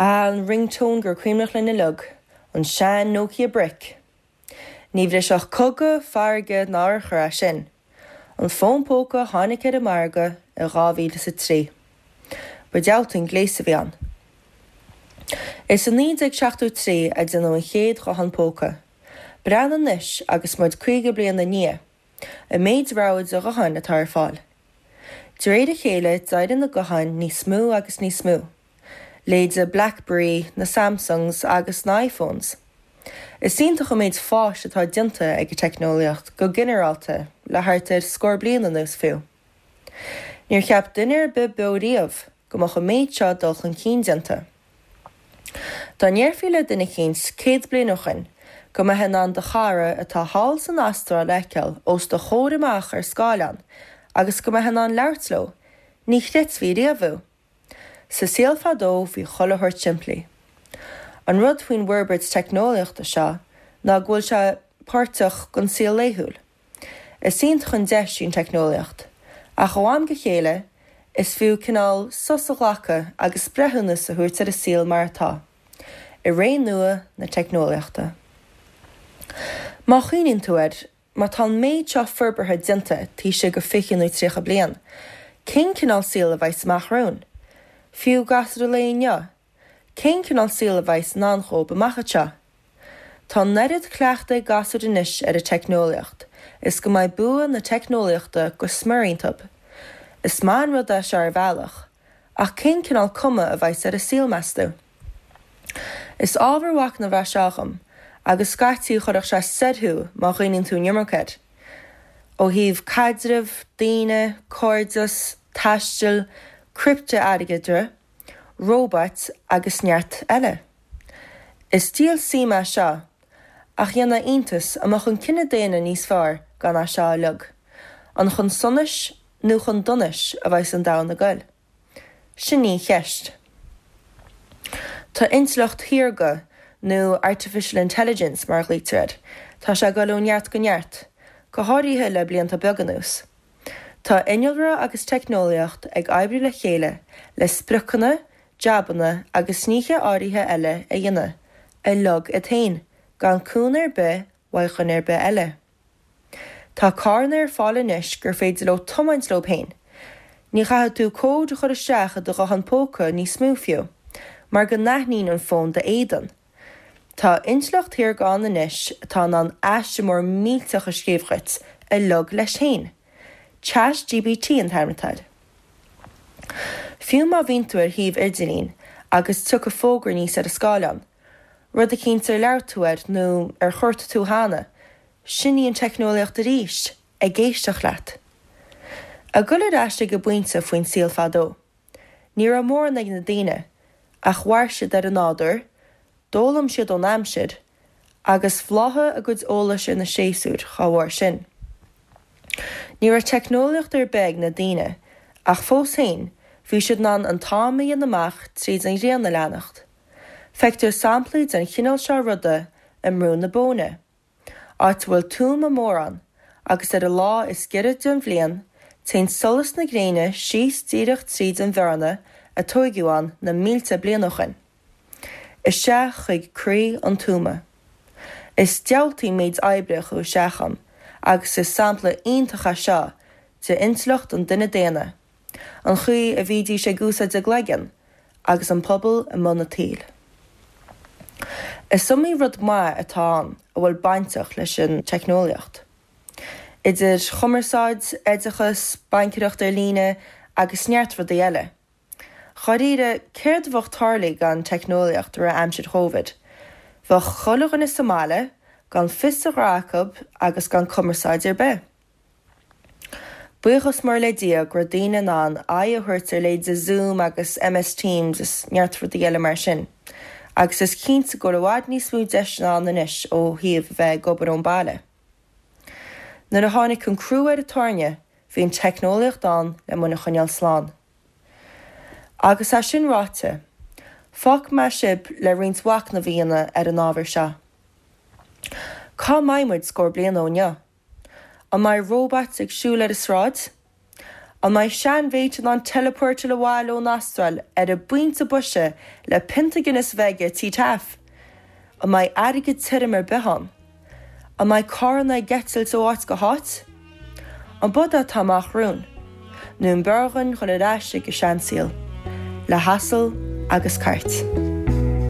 Ah, an ringtone gur cuimhneach linn uilig, an sean Nokia brick. Ní bhrisfeadh cogadh, farraige ná urchar é sin. An fón póca a tháinig ar an margadh i 2003. Ba diabhalta an gléas a bhí ann. Is i 1973 a déanadh an chéad ghuthán póca. Breathnaigh anois agus muid 50 bliain ina ndiaidh, an méid rogha de ghutháin atá ar fáil. De réir a chéile d'éirigh na gutháin níos mó agus níos mó. Leithéide Blackberry, na Samsungs agus na iPhones. Is iontach an méid fáis atá déanta ag an teicneolaíocht go ginearálta le thart ar scór bliain anuas fiú. Níor cheap duine ar bith beo riamh go mbeadh an méid seo dul chun cinn déanta. Dá ndéarfaí le duine eicínt 100 bliain ó shoin go mbeifeá in ann do chara atá thall san Astráil a fheiceáil os do chomhair amach ar scáileán agus go mbeifeá in ann labhairt leo, ní chreidfí riamh thú. Sa saol fadó bhí chuile shórt simplí. An rud faoin bhforbairt teicneolaíochta seo ná go bhfuil sé páirteach den saol laethúil. Is iontach an deis í an teicneolaíocht, ach ó am go chéile is fiú cineál sos a ghlacadh agus breithiúnas a thabhairt ar an saol mar atá, i ré nua na teicneolaíochta. Má chuimhníonn tú air, Má tá an méid seo forbartha déanta taobh istigh de 20 nó 30 bliain, cén cineál saoil a bheas amach romhainn? Fiú gasúir an lae inniu, cén cineál saoil a bheas i ndán dhóibh amach anseo? Tá an oiread cleachtaidh ag gasúir anois ar an teicneolaíocht is go mbeidh bua na teicneolaíochta go smior iontub. Is maith an rud é seo ar bhealach, ach cén cineál cuma a bheas ar an saol, meas tú? Is ábhar mhachnaimh é seo dhom, agus scaití chuirfeadh sé soir thú má chuimhníonn tú an iomarca air. Ó thaobh caidreamh, daoine, cairdeas, taistil, criptea-airgeadra, róbait agus neart eile. Is díol suime é seo, ach dhéanfadh iontas an mbeadh an cine daonna níos fearr gan é seo uilig. An chun sonais nó chun donais a bheas an domhan ag goil? Sin í an cheist. Tá intleacht shaorga, nó artificial intelligence mar a ghlaoitear air, tá sé ag dul ó neart go neart, go háirithe le blianta beaga anuas. Tá innealra agus teicneolaíocht ag oibriú le chéile le spriocanna, jabanna agus nithe áirithe eile a dhéanamh, uilig iad féin, gan cúnamh ar bith uaidh dhuine ar bith eile. Tá carranna ar fáil anois gur féidir leo tiomáint leo féin. Ní chaithfidh tú cód a chur isteach i do ghuthán póca níos mó fiú, mar go n-aithníonn an fón d'éadan. Tá intleacht shaorga ann anois atá in ann aiste mór millteach a scríobh dhuit, uilig leis féin. Chat GPT an t-ainm atá air. Fiú má bhíonn tú ar shuíomh idirlín agus tiocfaidh fógra aníos ar an scáileán, rud eicínt ar labhair tú air nó ar chuartaigh tú cheana, Sin í an teicneolaíocht arís, ag éisteacht leat. Ag dul ar ais ag an bpointe faoin saol fadó. Ní raibh mórán ag na daoine, ach mhair siad ar an nádúr, d'fhoghlaim siad ón aimsir, agus bhláthaigh a gcuid eolais ar na séasúir dá bharr sin. Ní raibh teicneolaíocht ar bith ag na daoine, ach fós féin, bhí siad in ann an t-am a dhéanamh amach tríd an ghrian a leanacht. Feictear samplaí den chineál seo ruda i mBrú na Bóinne. áit a bhfuil tuama mór ann, agus ar an lá is giorra den bhliain, téann solas na gréine síos díreach tríd an bhearna a tóigeadh ann na mílte bliain ó shoin, isteach chuig croí an tuama. Is diabhaltaí an méid oibre a chuaigh isteach ann, agus is sampla iontach é seo de intleacht an duine daonna. An chaoi a bhídís ag úsáid a gcloigeann agus an pobal i mbun an tsaoil. Is iomaí rud maith atá ann a bhfuil bainteach leis an teicneolaíocht. Idir chumarsáid, oideachas, baincéireacht ar líne agus neart rudaí eile. Dháiríre, céard a bheadh tarlaithe gan teicneolaíocht i rith aimsir Chóivid? Bheadh chuile dhuine sa mbaile, gan fios a ghnó acu agus gan cumarsáid ar bith. Buíochas mór le Dia go raibh daoine in ann aghaidh a thabhairt ar leithéide Zoom agus MS Teams is neart rudaí eile mar sin. Agus is cinnte go bhfuil i bhfad níos mó deiseanna ann anois ó thaobh a bheith ag obair ón baile. Nuair a tháinig an crú ar an tairne, bhí an teicneolaíocht ann le muid a choinneáil slán. Agus é sin ráite, fágfaidh mé sibh le roinnt mhachnaimh a dhéanamh ar an ábhar seo. Cá mbeidh muid scór bliain ó inniu? An mbeidh róbait ag siúl ar an sráid? An mbeidh seanmhéit in ann teileapórtáil abhaile ón Astráil ar an bpointe boise le pionta Guinness a bheith aige tigh Taaffe? An mbeidh airgead tirim ar bith ann? An mbeidh carranna ag eitilt ó áit go háit? An b'fhada atá amach romhainn? Nó an b'fhearr dhúinn dhul ar ais ag an seansaol, le hasal agus cairt?